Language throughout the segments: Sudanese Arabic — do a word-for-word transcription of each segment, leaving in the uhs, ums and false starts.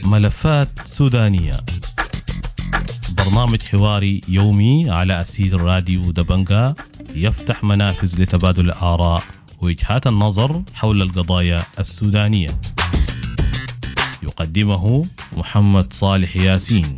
ملفات سودانية، برنامج حواري يومي على أسير راديو دبنجا، يفتح منافذ لتبادل الآراء ووجهات النظر حول القضايا السودانية. يقدمه محمد صالح ياسين.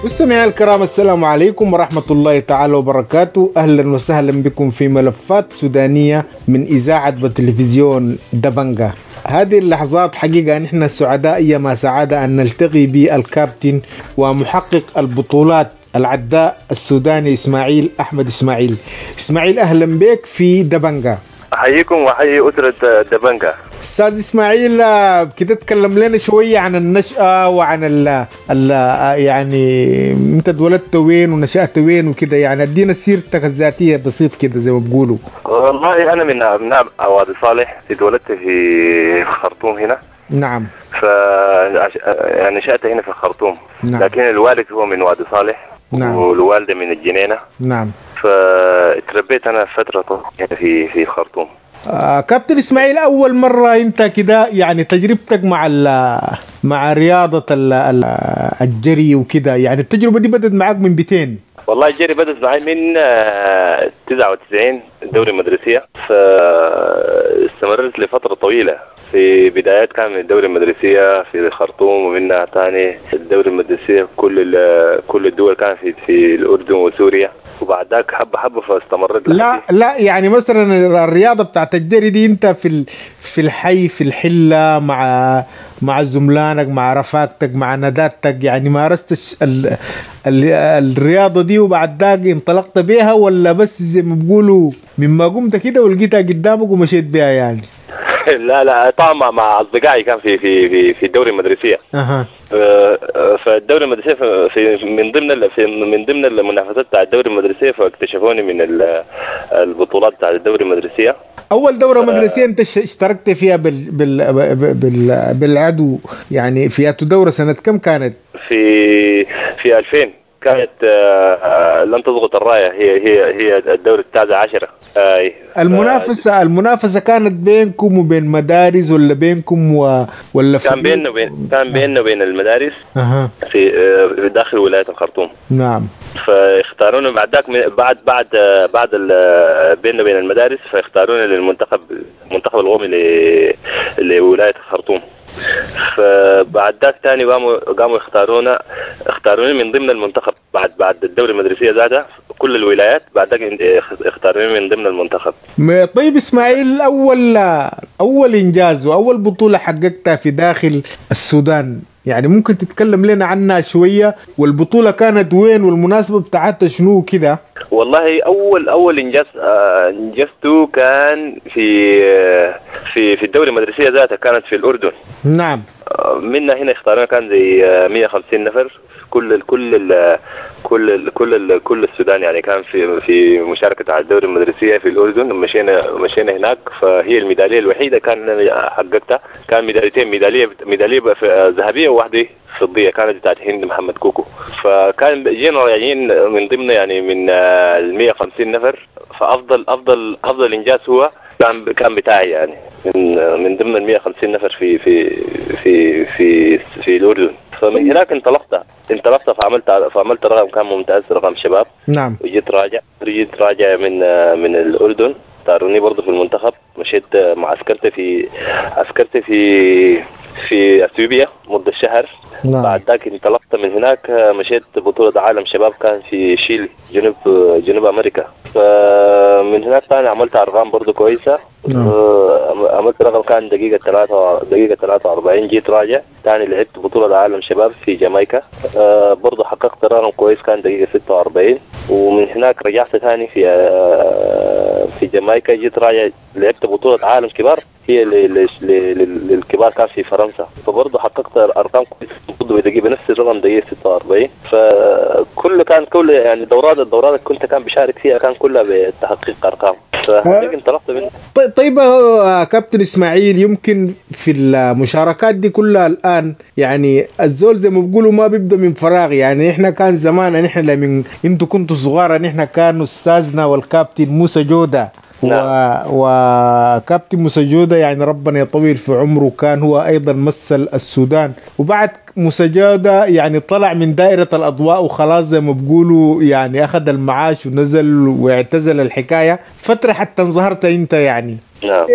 مستمعي الكرام، السلام عليكم ورحمة الله تعالى وبركاته. أهلا وسهلا بكم في ملفات سودانية من إذاعة وتلفزيون دبنجا. هذه اللحظات حقيقة نحن سعداء أيما سعادة أن نلتقي بالكابتن ومحقق البطولات العداء السوداني إسماعيل أحمد إسماعيل. إسماعيل، أهلا بك في دبنجا. أحييكم وأحيي أسرة دبنجا. أستاذ إسماعيل، كده تكلم لنا شوية عن النشأة وعن ال ال يعني أنت اتولدت وين ونشأت وين وكده، يعني ادينا سيرتك الذاتية بسيط كده زي ما بيقولوا. والله أنا من أبناء وادي صالح، اتولدت في الخرطوم هنا. نعم. ف يعني نشأت هنا في الخرطوم. نعم. لكن الوالد هو من وادي صالح. نعم. والوالدة من الجنينة. نعم. فتربيت أنا فترة طويلة في في الخرطوم. آه كابتن إسماعيل، أول مرة أنت كده يعني تجربتك مع مع رياضة ال ال الجري وكده، يعني التجربة دي بدأت معاك من بيتين؟ والله الجري بدأت معي من تسعة وتسعين دوري المدرسية، فاستمرت لفترة طويلة. في بدايات كان من الدوري المدرسية في الخرطوم، ومنها ثاني الدوري المدرسية كل كل الدول كان في في الأردن وسوريا، وبعد ذاك حبة حبة فاستمرت. لا لا يعني مثلا الرياضة بتاعت الجري دي انت في في الحي في الحلة مع مع زملانك مع رفاقتك مع ندادتك، يعني مارست ال ال الرياضة دي وبعد ذاك انطلقت بيها، ولا بس زي ما بيقولوا مما قمت كده ولقيتها قدامك ومشيت بيها يعني؟ لا لا طبعا مع اصدقائي كان في في في في الدوري المدرسية. اها. فالدوري المدرسية في من ضمن في من ضمن المنافسات بتاع الدوري المدرسية، فاكتشفوني من البطولات بتاع الدوري المدرسية. اول دوره مدرسيه انت اشتركت فيها بال بال بال بالعدو، يعني في دوره سنة كم كانت؟ في في ألفين كانت. لن تضغط الراية، هي هي هي الدوري التاسع عشرة. آه. المنافسة المنافسة كانت بينكم وبين مدارس ولا بينكم و... ولا كان بيننا وبين كان بيننا وبين المدارس. أه. في داخل ولاية الخرطوم. نعم. فاختارونا بعد ذاك بعد بعد بعد بيننا وبين المدارس، فاختارونا للمنتخب المنتخب القومي ل... لولاية الخرطوم. فبعد ذاك ثاني قاموا قاموا اختارونا اختاروني من ضمن المنتخب بعد بعد الدوري المدرسية ذاتها كل الولايات، بعد ذاك اختاروني من ضمن المنتخب. طيب اسماعيل، اول اول انجاز واول بطوله حققتها في داخل السودان، يعني ممكن تتكلم لنا عنها شوية، والبطوله كانت وين والمناسبة بتاعتها شنو كده؟ والله اول اول انجاز انجزته كان في في في الدوري المدرسية ذاتها، كانت في الاردن. نعم. منا هنا اختارنا كان زي مية وخمسين نفر، كل كل ال كل ال كل ال كل السودان يعني كان في في مشاركة على الدوري المدرسية في الاردن. مشينا مشينا هناك، فهي الميداليه الوحيدة كان حققتها، كان ميداليتين، ميدالية ميدالية ذهبية وواحدة فضية، كانت بتاعت هند محمد كوكو. فكان جينا راجعين من ضمن يعني من ال مية وخمسين نفر، فافضل افضل افضل انجاز هو كان كان بتاعي يعني من من ضمن ال مية وخمسين نفر في في في في في الاردن. فمن هناك انطلقت انطلقت فعملت فعملت رقم كان ممتاز، رقم شباب. نعم. وجيت راجع جيت راجع من من الاردن، اختاروني برضه في المنتخب. مشيت معسكرت في عسكرت في في اثيوبيا مدة شهر. نعم. بعد ذاك انطلقت من هناك، مشيت بطولة عالم شباب كان في شيلي جنوب جنوب امريكا. فمن هناك ثاني عملت ارقام برضه كويسة. نعم. عملت رقم كان دقيقة ثلاثة دقيقة ثلاثة وأربعين. جيت راجع ثاني لعبت بطولة عالم شباب في جامايكا، برضه حققت رقم كويس كان دقيقة ستة وأربعين. ومن هناك رجعت ثاني في في جامايكا، جيت راجع لعبت بطولة عالم كبار هي للكبار كان في فرنسا، فبرضه حققت ارقام كويسة برضه بدقيقة بنفس الرقم دقيقة ستة وأربعين. فكل كان كل يعني دورات الدورات كنت كان بشارك فيها كان كلها بتحقيق ارقام، فهذيك انطلقت منها. طيب كابتن اسماعيل، يمكن في المشاركات دي كلها الان يعني الزول زي ما بيقولوا ما بيبدا من فراغ، يعني احنا كان زمان نحن لمن انتوا كنتوا صغار نحن كان استاذنا والكابتن موسى جودة. نعم. وكابتن موسى جودة يعني ربنا يطول في عمره، كان هو أيضا مثل السودان، وبعد موسى جودة يعني طلع من دائرة الأضواء وخلاص زي ما بيقولوا يعني أخذ المعاش ونزل واعتزل الحكاية فترة حتى انظهرت أنت يعني. نعم.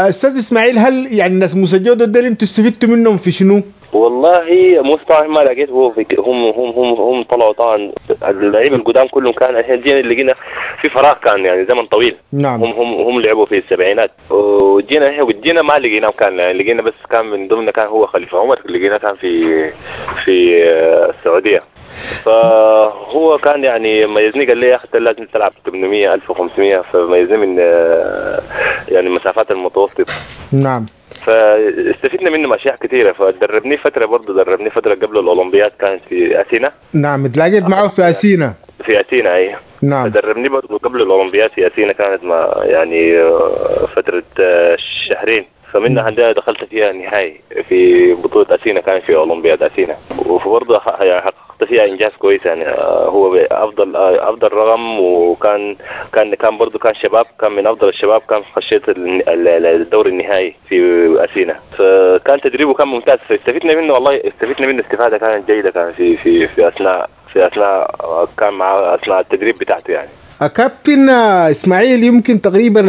أستاذ إسماعيل، هل يعني الناس موسى جودة ده اللي انتوا استفدتوا منهم في شنو؟ والله موسى طبعا ما لقيت هو في هم هم هم هم طلعوا طبعا اللعيبة القدام كلهم، كان الحين جينا لقينا في فراغ كان يعني زمن طويل. نعم. هم هم هم لعبوا في السبعينات، وجينا احنا وجينا ما لقيناهم، كان يعني لقينا بس كان من ضمن كان هو خليفة عمر، لقينا كان في في السعودية. فهو كان يعني ميزني، قال لي يا اخي لازم تلعب ثمانمية ألف وخمسمية، فميزني من يعني المسافات المتوسطة. نعم. فاستفدنا منه اشياء كثيرة، فدربني فترة برضه دربني فترة قبل الاولمبياد كانت في اثينا. نعم، تلاقيت معه في اثينا. في اثينا اي. نعم. دربني برضه قبل الاولمبياد في اثينا، كانت ما يعني فترة شهرين، فمنها عندها دخلت فيها النهائي في بطوله اثينا، كان في اولمبياد اثينا، وبرضه يعني حققت فيها انجاز كويس يعني، هو افضل افضل رقم، وكان كان كان برضه كان شباب، كان من افضل الشباب، كان خشيت الدور النهائي في اثينا، فكان تدريبه كان ممتاز، فاستفدنا منه والله، استفدنا منه استفاده كانت جيدة، كان في في في اثناء في اثناء كان مع اثناء التدريب بتاعته يعني. كابتن اسماعيل، يمكن تقريبا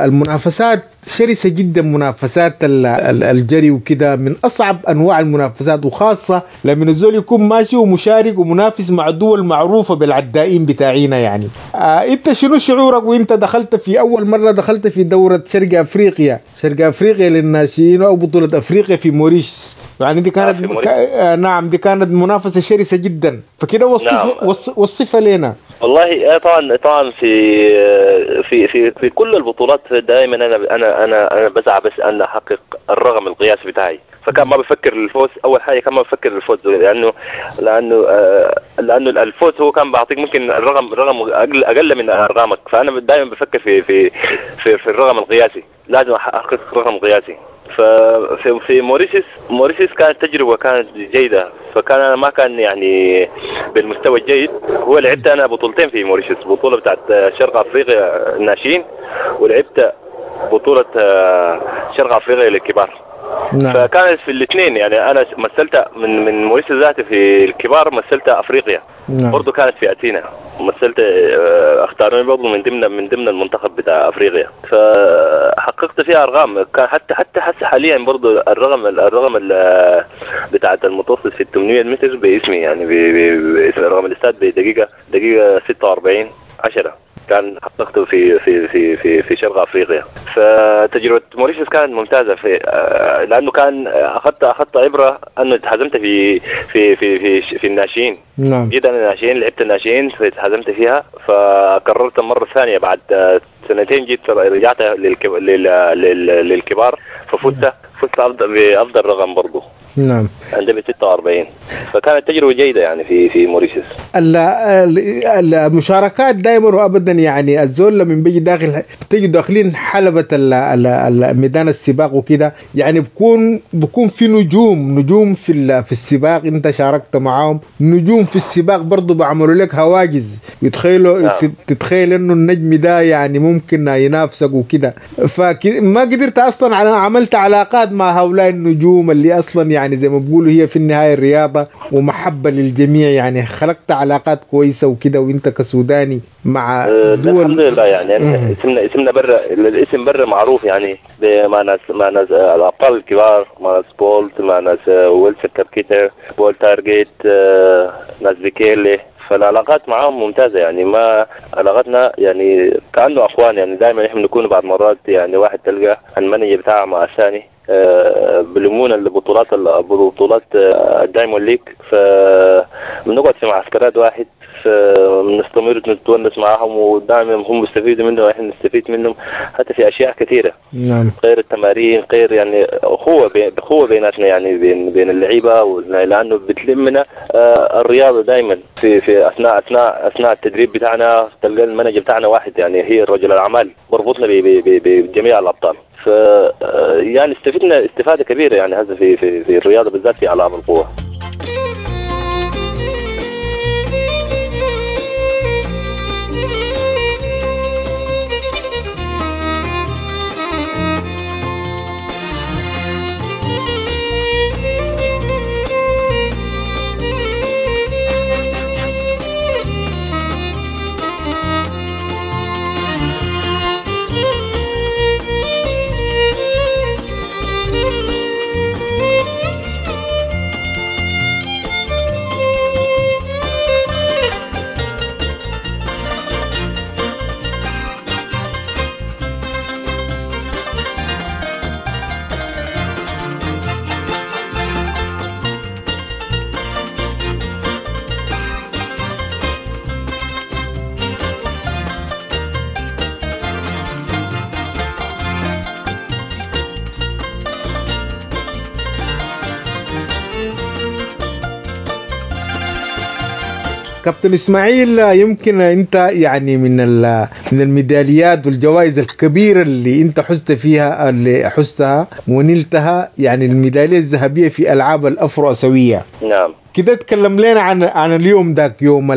المنافسات شرسة جدا، منافسات الجري وكده من اصعب انواع المنافسات، وخاصة لما الزول يكون ماشي ومشارك ومنافس مع دول معروفة بالعدائين بتاعينا يعني. آه انت شنو شعورك وانت دخلت في اول مرة دخلت في دوره شرق افريقيا، شرق افريقيا للناشئين او بطوله افريقيا في موريشيوس، يعني دي كانت آه آه نعم دي كانت منافسه شرسة جدا، فكده وصف نعم. وصفها لنا. والله طبعا طبعا في في في في كل البطولات دائما انا انا انا انا بسعى بس ان احقق الرقم القياسي بتاعي، فكان ما بفكر الفوز اول حاجة، كان ما بفكر الفوز لانه لانه لانه الفوز هو كان بعطيك ممكن الرقم رقم اقل اقل من ارقامك، فانا دائما بفكر في في في, في الرقم القياسي، لازم احقق رقم قياسي. ففي في موريشيوس موريشيوس كانت تجربه كانت جيدة، فكان انا ما كان يعني بالمستوى الجيد. هو لعبت انا بطولتين في موريشيوس، بطوله بتاعت شرق افريقيا الناشئين، ولعبت بطوله شرق افريقيا للكبار. نعم. فكانت في الاثنين يعني، انا مثلت من من موريشيوس ذاتي في الكبار، مثلت افريقيا. نعم. برضه كانت في اثينا، مثلت اختاروني برضه من ضمن من ضمن المنتخب بتاع افريقيا، فحققت فيها ارقام. كان حتى حتى حتى حاليا برضه الرقم الرقم بتاع المتوسط في ثمانمية متر باسمي يعني، باسم رقم الاستاد بدقيقة دقيقة ستة وأربعين عشرة كان حققته في في في في في شرق افريقيا. فتجربه موريشيوس كانت ممتازة في لانه كان اخذت اخذت عبره انه اتهزمت في في في في في الناشئين. نعم. جيت انا الناشئين، لعبت الناشئين فاتهزمت فيها، فقررت المرة الثانية بعد سنتين جيت رجعت للكبار، ففزت فزت بافضل رقم برضه. نعم. عندما ستة وأربعين، فكانت تجربة جيدة يعني في في موريشيوس. المشاركات دائما وابدا يعني الزول لما بيجي داخل تيجي داخلين حلبة ميدان السباق وكده، يعني بكون بكون في نجوم نجوم في في السباق انت شاركت معاهم، نجوم في السباق برضه بعملوا لك هواجز، يتخيلوا نعم. تتخيل انه النجم ده يعني ممكن ينافسك وكده، فما قدرت اصلا على عملت علاقات مع هؤلاء النجوم اللي اصلا يعني زي ما بيقولوا هي في النهاية الرياضة ومحبة للجميع، يعني خلقت علاقات كويسة وكده وانت كسوداني مع دول. الحمد لله يعني اسمنا اسمنا برا، الاسم برا معروف يعني مع ناس مع ناس الابطال الكبار، مع ناس بولت، مع ناس ويلسون كابكيتر، بول تارجيت، ناس بيكيلي، فالعلاقات معاهم ممتازة يعني، ما علاقتنا يعني كانه اخوان يعني، دائما احنا بنكون بعض مرات يعني واحد تلقى ال manager بتاعه مع الثاني بلمون البطولات البطولات ال Diamond League، ف بنقعد في معسكرات واحد، فبنستمر نتونس معاهم، ودائما هم بيستفيدوا منه واحنا نستفيد منهم حتى في اشياء كثيرة. نعم. غير التمارين، غير يعني اخوه بي اخوه بيناتنا يعني بين بين اللعيبة، لانه بتلمنا آه الرياضة دائما في في اثناء اثناء اثناء التدريب بتاعنا تلقى ال manager بتاعنا واحد يعني هي رجل الاعمال بربطنا بجميع الابطال. ف يعني استفدنا استفاده كبيرة يعني هذا في في في الرياضة بالذات في العاب القوة. كابتن اسماعيل، يمكن انت يعني من من الميداليات والجوائز الكبيرة اللي انت حزت فيها اللي حزتها ونلتها يعني الميداليه الذهبية في العاب الافرو اسيوية. نعم. كده تكلم لنا عن عن اليوم ذاك، يوم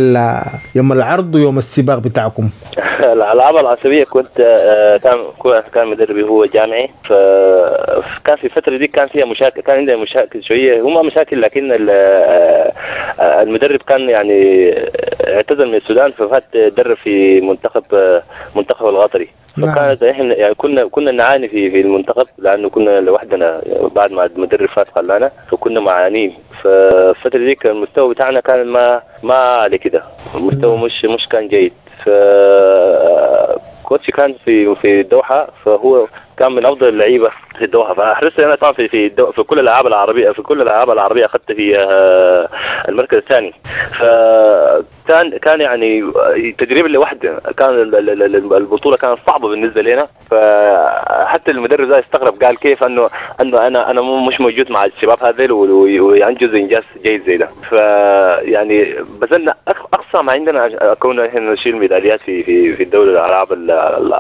يوم العرض ويوم السباق بتاعكم. الالعاب الاسيوية كنت كان كان مدربي هو جامعي، فكان في الفترة دي كان فيها مشاكل، كان عندنا مشاكل شوية، هم مشاكل لكن المدرب كان يعني اعتزل من السودان، ففات درب في منتخب منتخب القطري. فكانت احنا يعني كنا كنا نعاني في في المنتخب لانه كنا لوحدنا بعد ما المدرب فات خلانا، فكنا معانين. فالفتره دي كان المستوى بتاعنا كان ما ما على كده، المستوى مش مش كان جيد. ف كوتش كان في في الدوحة، فهو كان من افضل اللعيبة في الدوحة، فحرصت انا طبعا في في في كل الالعاب العربية، في كل الالعاب العربية اخذت في المركز الثاني. فكان كان يعني تدريب لوحده، كان البطولة كانت صعبة بالنسبة لنا. فحتى المدرب ده استغرب، قال كيف انه انه انا انا مش موجود مع الشباب هذول وينجز انجاز جيد زي ده. فيعني بذلنا اقصى ما عندنا كنا احنا نشيل ميداليات في في في الدولة الالعاب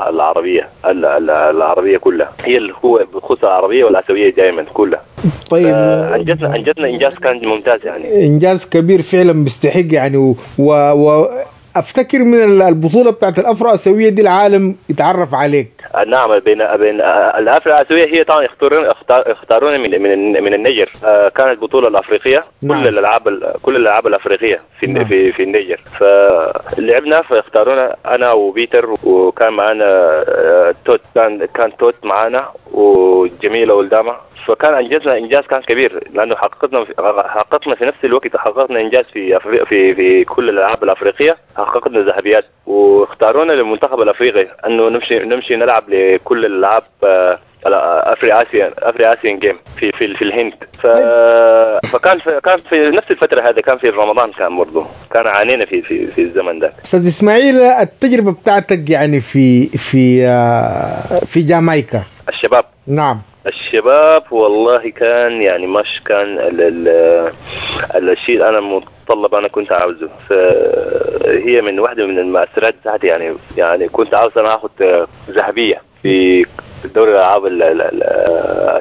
العربية العربية كلها، هي اللي هو بخصوص العربية والاسيويه دائما كلها. طيب انجزنا انجزنا انجاز كان ممتاز يعني، انجاز كبير فعلا بيستحق يعني. و, و... افتكر من البطولة بتاعت الافرو اسيوية دي العالم يتعرف عليك. نعم، بين بين الافرو اسيوية هي طبعا اختارون اختارونا من من من النيجر، كانت البطولة الافريقية. نعم. كل الالعاب كل الالعاب الافريقية في نعم. في في النيجر، فلعبنا فاختارونا انا وبيتر، وكان معنا توت، كان كان توت معنا وجميلة ولدامه. فكان انجزنا انجاز كان كبير لانه حققنا حققنا في نفس الوقت حققنا انجاز في في في كل الالعاب الافريقية، حققنا ذهبيات، واختارونا للمنتخب الافريقي انه نمشي نمشي نلعب لكل الالعاب Afri Asian Afri Asian Game في في في الهند. ف... فكان في كان في نفس الفترة هذا كان في رمضان، كان برضه كان عانينا في في في الزمن ده. استاذ اسماعيل، التجربة بتاعتك يعني في في في جامايكا الشباب. نعم. الشباب والله كان يعني مش كان ال ال الشيء انا متطلب انا كنت عاوزه، فهي من واحدة من المؤثرات بتاعتي يعني. يعني كنت عاوز انا اخذ ذهبية في دوري الالعاب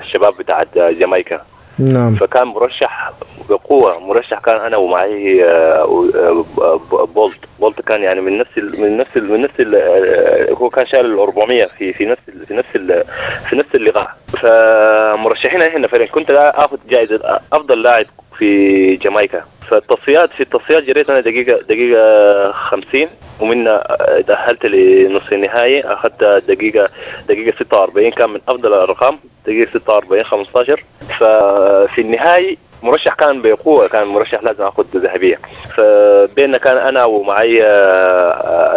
الشباب بتاعت جامايكا. نعم. فكان مرشح بقوة، مرشح كان انا ومعي بولت. بولت كان يعني من نفس ال من نفس ال من نفس ال هو كان شال ال أربعمية في في نفس ال في نفس ال في نفس اللقاء. فمرشحين احنا فريق، كنت اخذ جائزة افضل لاعب في جامايكا. فالتصفيات في التصفيات جريت انا دقيقة دقيقة خمسين، ومنها تاهلت لنصف النهائي، اخذت دقيقة دقيقة ستة وأربعين، كان من افضل الارقام. دقيقة ستة وأربعين خمستاشر. ففي النهاية مرشح كان بقوة، كان مرشح لازم اخذ ذهبية. فبيننا كان انا ومعي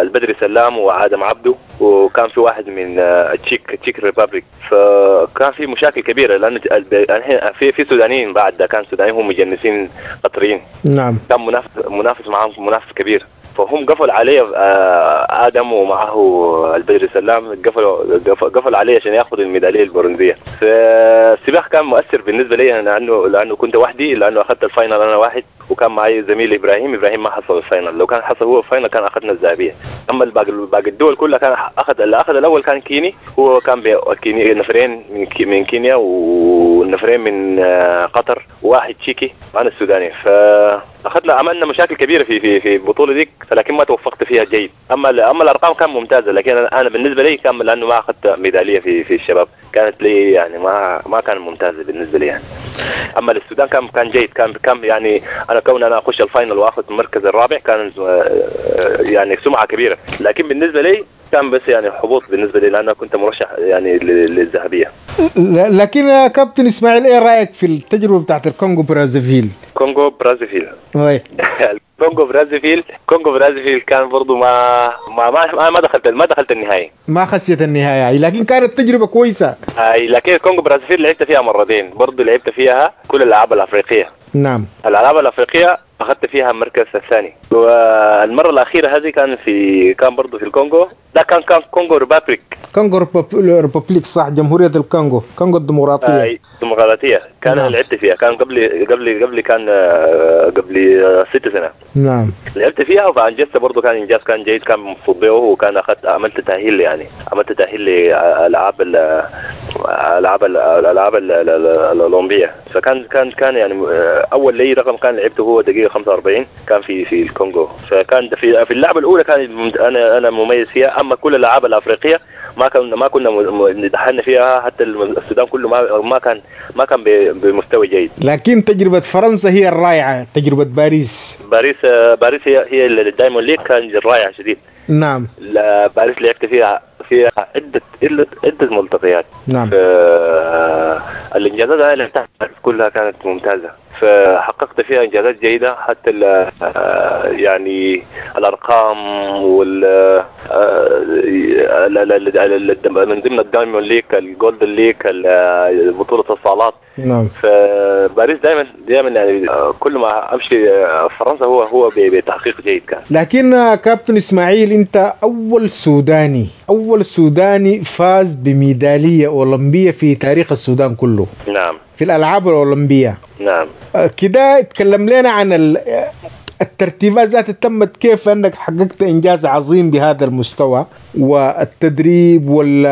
البدري سلام وعادم عبده، وكان في واحد من تشيك تشيك Republic. فكان في مشاكل كبيرة لانه في في سودانيين بعد ده، كان سودانيين هم مجنسين قطريين. نعم. كان منافس منافس معهم منافس كبير، فهم قفل علي ادم ومعه البدري سلام، قفلوا قفل علي عشان ياخذ الميداليه البرونزيه. فالسباق كان مؤثر بالنسبة لي لانه لانه كنت وحدي، لانه اخذت ال final انا واحد، وكان معي زميلي ابراهيم. ابراهيم ما حصل ال final، لو كان حصل هو ال final كان اخذنا الذهبية. اما الباقي باقي الدول كلها كان اخذ اللي اخذ الاول كان كيني، هو كان كيني نفرين من من كينيا ونفرين من قطر وواحد تشيكي وانا السوداني. فاخذنا عملنا مشاكل كبيرة في في في البطولة ديك، لكن ما توفقت فيها جيد. اما اما الارقام كان ممتازة، لكن انا بالنسبة لي كان لانه ما اخذت ميدالية في في الشباب كانت لي يعني ما ما كان ممتازة بالنسبة لي يعني. اما للسودان كان كان جيد، كان كان يعني انا كون انا اخش ال final واخذ المركز الرابع كان يعني سمعه كبيرة، لكن بالنسبة لي كان بس يعني حبوط بالنسبة لي لانه كنت مرشح يعني للذهبيه. لكن يا كابتن اسماعيل، ايه رايك في التجربة بتاعت الكونغو برازافيل؟ كونغو برازافيل وي كونغو برازافيل كونغو برازافيل كان برضو ما ما ما, ما دخلت ما دخلت النهائي، ما خشيت النهائي، لكن كانت تجربه كويسة. اي لكن كونغو برازافيل لعبت فيها مرتين، برضو لعبت فيها كل الالعاب الافريقية. نعم. الالعاب الافريقية اخذت فيها المركز الثاني، والمرة الاخيرة هذه كان في كان برضو في الكونغو، ده كان كان كونغو Republic. كونغو Republic صح، جمهورية الكونغو، كونغو الديمقراطية. اي الديمقراطية كان. نعم. لعبت فيها كان قبل قبل قبل كان قبل ست سنة. نعم. لعبت فيها وانجزت برضو، كان انجاز كان جيد، كان مبسوط به، وكان اخذت عملت تاهيل يعني عملت تاهيل لالعاب الالعاب الالعاب الاولمبية. فكان كان كان يعني اول لي رقم كان لعبته هو دقيقة خمسة وأربعين كان في في الكونغو. فكان في في اللعبة الاولى كان انا انا مميز فيها. اما كل الالعاب الافريقية ما كنا ما كنا دخلنا فيها، حتى السودان كله ما ما كان ما كان بمستوى جيد. لكن تجربه فرنسا هي الرائعة، تجربه باريس. باريس باريس هي هي ال Diamond League كان رائعة شديد. نعم. باريس لعبت فيها فيها عده عده ملتقيات. نعم. الانجازات اللي لعبتها كلها كانت ممتازة، فحققت فيها انجازات جيدة، حتى يعني الارقام وال من ضمن ال Diamond League، ال Golden League، بطوله الصالات. نعم. فباريس دائما دائما يعني كل ما امشي فرنسا هو هو بتحقيق جيد كان. لكن كابتن اسماعيل، انت اول سوداني اول سوداني فاز بميداليه اولمبيه في تاريخ السودان كله. نعم. في الالعاب الاولمبية. نعم. كده اتكلم لنا عن الترتيبات ذات تمت كيف انك حققت انجاز عظيم بهذا المستوى، والتدريب وال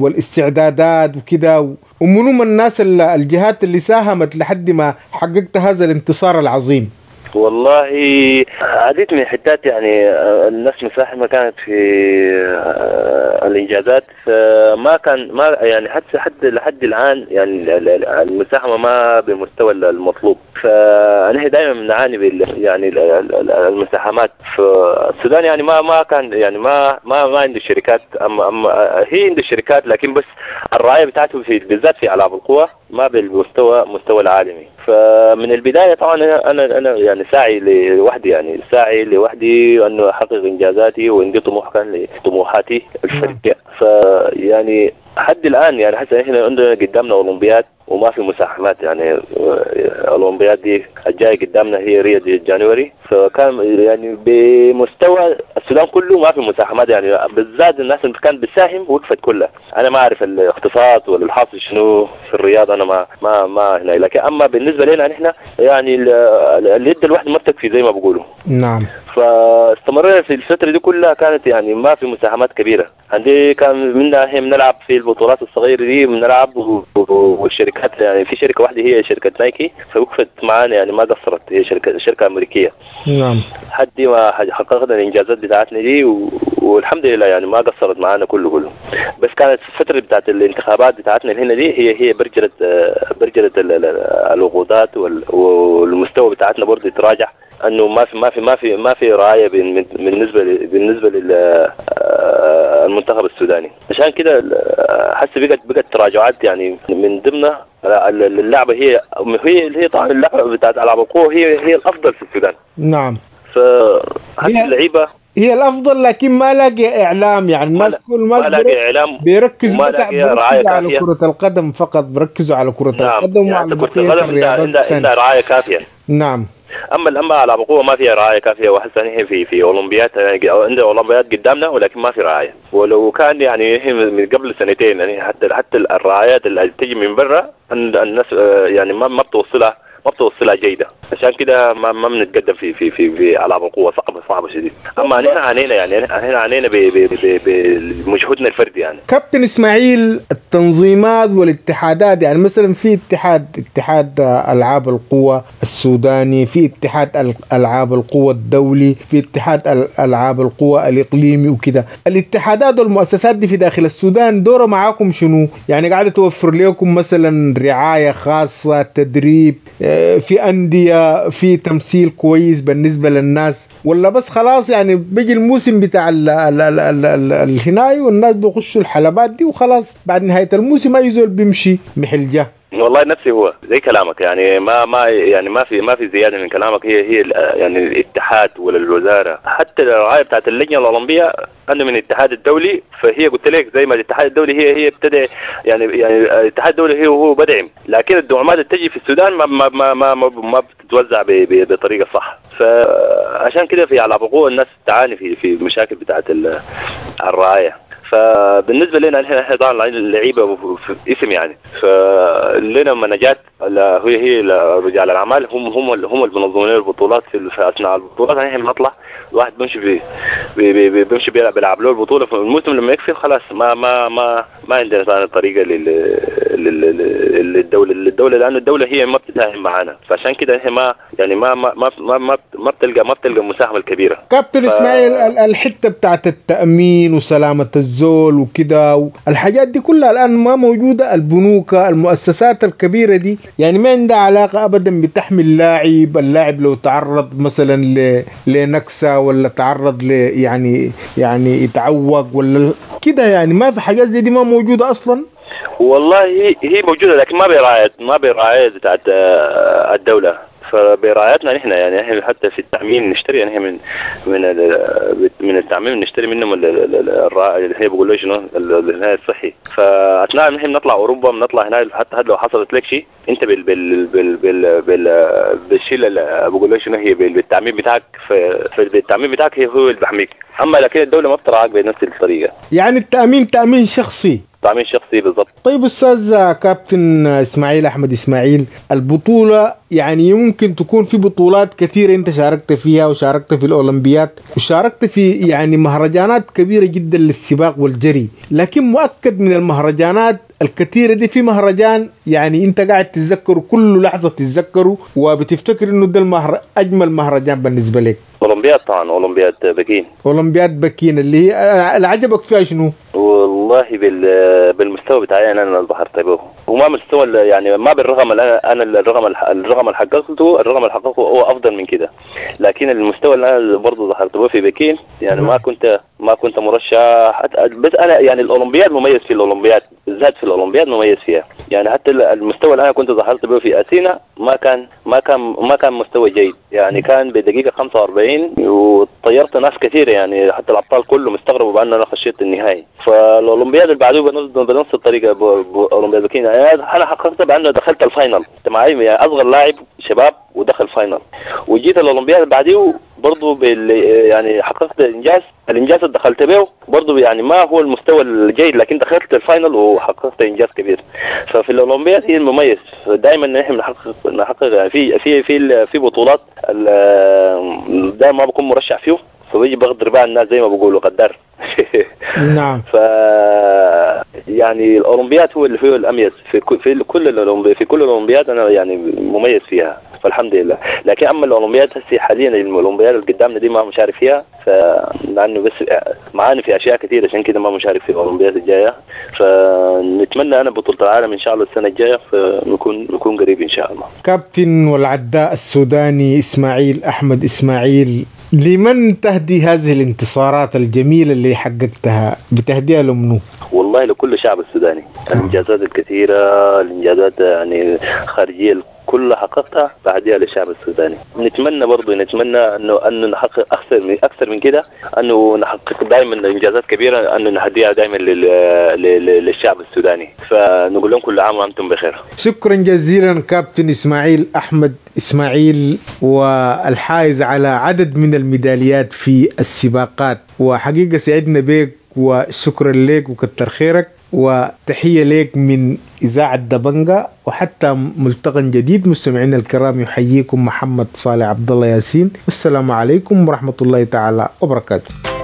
والاستعدادات وكده، ومنو الناس الجهات اللي ساهمت لحد ما حققت هذا الانتصار العظيم؟ والله عديت من حتات يعني الناس مساهمة كانت في الإنجازات، فما كان ما يعني حتى حتى لحد الآن يعني المساهمة ما بالمستوى المطلوب. فنحن دائما بنعاني بال يعني المساهمات في السودان، يعني ما ما كان يعني ما ما ما عنده شركات، أما أما هي عنده شركات لكن بس الرعاية بتاعته في بالذات في ألعاب القوى ما بالمستوى مستوى العالمي. فمن البداية طبعا أنا أنا أنا يعني ساعي لوحدي، يعني ساعي لوحدي أنه أحقق إنجازاتي، وعندي طموح كان لطموحاتي الفردية. فيعني حد الآن يعني حتى إحنا عندنا قدامنا أولمبياد وما في مساهمات، يعني الأولمبياد دي الجاية قدامنا هي ريو دي جانوري، فكان يعني بمستوى السودان كله ما في مساهمات، يعني بالذات الناس اللي كانت بتساهم وقفت كلها. أنا ما أعرف الاقتصاد ولا الحاصل شنو في الرياض، أنا ما ما ما هنا، لكن أما بالنسبة لنا نحن يعني اليد الواحدة ما بتكفي زي ما بقولوا. نعم. فاستمرنا في الفترة دي كلها كانت يعني ما في مساهمات كبيرة. عندي كان منا هي بنلعب في البطولات الصغيرة دي بنلعب، والشركات يعني في شركة واحدة هي شركة نايكي فوقفت معانا يعني ما قصرت، هي شركة شركة أمريكية. نعم. حد ما حققنا الإنجازات بتاعتنا دي و... والحمد لله يعني ما قصرت معانا كله كله. بس كانت الفترة بتاعت الانتخابات بتاعتنا هنا دي هي هي برجلت برجلت الوقودات وال... والمستوى بتاعتنا برضه يتراجع، انه ما في ما في ما في ما في رعاية بالنسبة بالنسبة لل المنتخب السوداني. عشان كده حسي بقت بقت تراجعات يعني من ضمنها اللعبة هي هي هي طبعا اللعبة بتاعت العاب القوة هي هي الافضل في السودان. نعم. فحتى اللعيبة هي الافضل، لكن ما لاقي اعلام، يعني الناس كل ما لاقي اعلام، بيركزوا بس بيركزوا على كرة القدم فقط، بيركزوا على كرة نعم. القدم يعني وعلى كرة القدم عندها عندها رعاية كافية. نعم. اما اما العاب القوة ما فيها رعاية كافيه، وحتى نحن في في اولمبياد يعني عندنا اولمبياد قدامنا ولكن ما في رعاية. ولو كان يعني من قبل سنتين يعني حتى حتى الرعايات اللي تجي من برا الناس يعني ما ما بتوصلها ما بتوصلها جيدة، عشان كده ما ما بنتقدم في في في في العاب القوة، صعبة صعبة شديد. اما نحن عانينا يعني نحن عانينا بمجهودنا الفردي يعني. كابتن اسماعيل، التنظيمات والاتحادات، يعني مثلا في اتحاد اتحاد العاب القوة السوداني، في اتحاد العاب القوة الدولي، في اتحاد العاب القوة الاقليمي وكده، الاتحادات والمؤسسات دي في داخل السودان دوره معاكم شنو؟ يعني قاعدة توفر لكم مثلا رعاية خاصة، تدريب، في أندية، في تمثيل كويس بالنسبة للناس، ولا بس خلاص يعني بيجي الموسم بتاع ال ال ال ال ال الهناي والناس بيخشوا الحلبات دي وخلاص بعد نهاية الموسم أي زول بيمشي محلجة؟ والله نفسي هو زي كلامك، يعني ما ما يعني ما في ما في زيادة من كلامك. هي هي يعني الاتحاد ولا الوزارة، حتى الرعاية بتاعت اللجنة الاولمبية انا من الاتحاد الدولي، فهي قلت لك زي ما الاتحاد الدولي هي هي ابتدى يعني يعني الاتحاد الدولي هي هو بدعم، لكن الدعومات اللي تجي في السودان ما ما ما ما, ما بتتوزع بطريقة صح. فعشان كده في العاب القوة الناس تعاني في في مشاكل بتاعت الرعاية. فبالنسبه لنا نحن احنا طبعا اللعيبة في اسم يعني، فلنا منجات هي هي رجال الاعمال هم هم هم اللي بينظموا لنا البطولات في اثناء البطولات. نحن بنطلع الواحد بيمشي بي بي بي بيمشي بيلعب بيلعب له البطولة في الموسم، لما يكفي خلاص ما ما ما ما عندنا ثاني طريقه لل للدولة للدولة لان الدولة هي ما بتساهم معنا، فعشان كده نحن ما يعني ما ما ما ما ما بتلقى ما بتلقى المساهمة الكبيرة. كابتن ف... اسماعيل، الحتة بتاعت التامين وسلامه الزول وكده الحاجات دي كلها الان ما موجودة. البنوك، المؤسسات الكبيرة دي يعني ما عندها علاقة ابدا بتحمي اللاعب، اللاعب لو تعرض مثلا ل... لنكسه ولا تعرض ل يعني يعني يتعوق ولا كده، يعني ما في حاجات زي دي ما موجودة اصلا. والله هي هي موجودة لكن ما برعاية ما برعاية بتاعت الدولة، فبرعايتنا نحن يعني احنا حتى في التعميم نشتري يعني من من من التعميم نشتري منهم اللي هي بيقولوا شنو الهناية الصحي. فاثناء نحن بنطلع اوروبا بنطلع هنا، حتى لو حصلت لك شيء انت بال بال بال بال بال بالشيء اللي بيقولوا شنو هي بالتعميم بتاعك، فالتعميم بتاعك هي هو اللي بيحميك. اما لكن الدولة ما بتراعاك بنفس الطريقة، يعني التامين تامين شخصي، تامين شخصي بالضبط. طيب استاذ كابتن اسماعيل احمد اسماعيل، البطولة يعني يمكن تكون في بطولات كثيرة انت شاركت فيها، وشاركت في الاولمبياد، وشاركت في يعني مهرجانات كبيرة جدا للسباق والجري، لكن مؤكد من المهرجانات الكثيرة دي في مهرجان يعني انت قاعد تتذكره كل لحظة تتذكره وبتفتكر انه ده المهر اجمل مهرجان بالنسبة لك. اولمبياد طبعا، اولمبياد بكين. اولمبياد بكين اللي هي اللي عجبك فيها شنو؟ والله بال بالمستوى بتاعي انا اللي ظهرت به، وما مستوى يعني ما بالرقم اللي انا انا الرقم الرقم اللي حققته الرقم اللي حققته هو افضل من كده، لكن المستوى اللي انا برضه ظهرت به في بكين يعني ما كنت ما كنت مرشح، بس انا يعني الاولمبياد مميز في الاولمبياد بالذات، في الاولمبياد مميز فيها يعني. حتى المستوى اللي انا كنت ظهرت به في اثينا ما كان ما كان ما كان مستوى جيد يعني، كان بدقيقة خمسة وأربعين وطيرت ناس كثيرة يعني، حتى الابطال كلهم استغربوا بان انا خشيت النهائي. فالاولمبياد اللي بعده بنفس الطريقة اولمبياد بكين يعني انا حققت بانه دخلت ال final، انت معي يعني اصغر لاعب شباب ودخل final. وجيت الاولمبياد اللي بعديه برضه بال يعني حققت انجاز، الانجاز اللي دخلت به برضه يعني ما هو المستوى الجيد، لكن دخلت ال final وحققت انجاز كبير. ففي الاولمبياد هي المميز دائما نحن نحقق نحقق يعني في في في في بطولات دائما ما بكون مرشح فيه، فبيجي بغدر بقى الناس زي ما بيقولوا غدار. نعم. ف يعني الاولمبياد هو اللي فيه الاميز في في كل الاولمبياد، في كل الاولمبياد انا يعني مميز فيها. فالحمد لله. لكن اما الاولمبياد هسه حاليا الاولمبياد اللي قدامنا دي ما مشارك فيها، فلانه بس معانا في اشياء كثيرة عشان كده ما مشارك في الاولمبياد الجاية. فنتمنى انا بطوله العالم ان شاء الله السنة الجاية، فنكون نكون قريب ان شاء الله. كابتن والعداء السوداني اسماعيل احمد اسماعيل، لمن تهدي هذه الانتصارات الجميلة اللي حققتها؟ بتهديها لمنو؟ والله لكل الشعب السوداني، الانجازات الكثيرة، الانجازات يعني خارجية كلها حققتها بهديها للشعب السوداني. نتمنى برضه نتمنى انه انه نحقق اكثر من اكثر من كده، انه نحقق دائما انجازات كبيرة، انه نهديها دائما للشعب السوداني. فنقول لهم كل عام وانتم بخير. شكرا جزيلا كابتن اسماعيل احمد اسماعيل، والحائز على عدد من الميداليات في السباقات، وحقيقة سعدنا بك وشكرا لك وكتر خيرك، وتحية لك من إذاعة دبنجة. وحتى ملتقى جديد مستمعينا الكرام، يحييكم محمد صالح عبد الله ياسين، والسلام عليكم ورحمة الله تعالى وبركاته.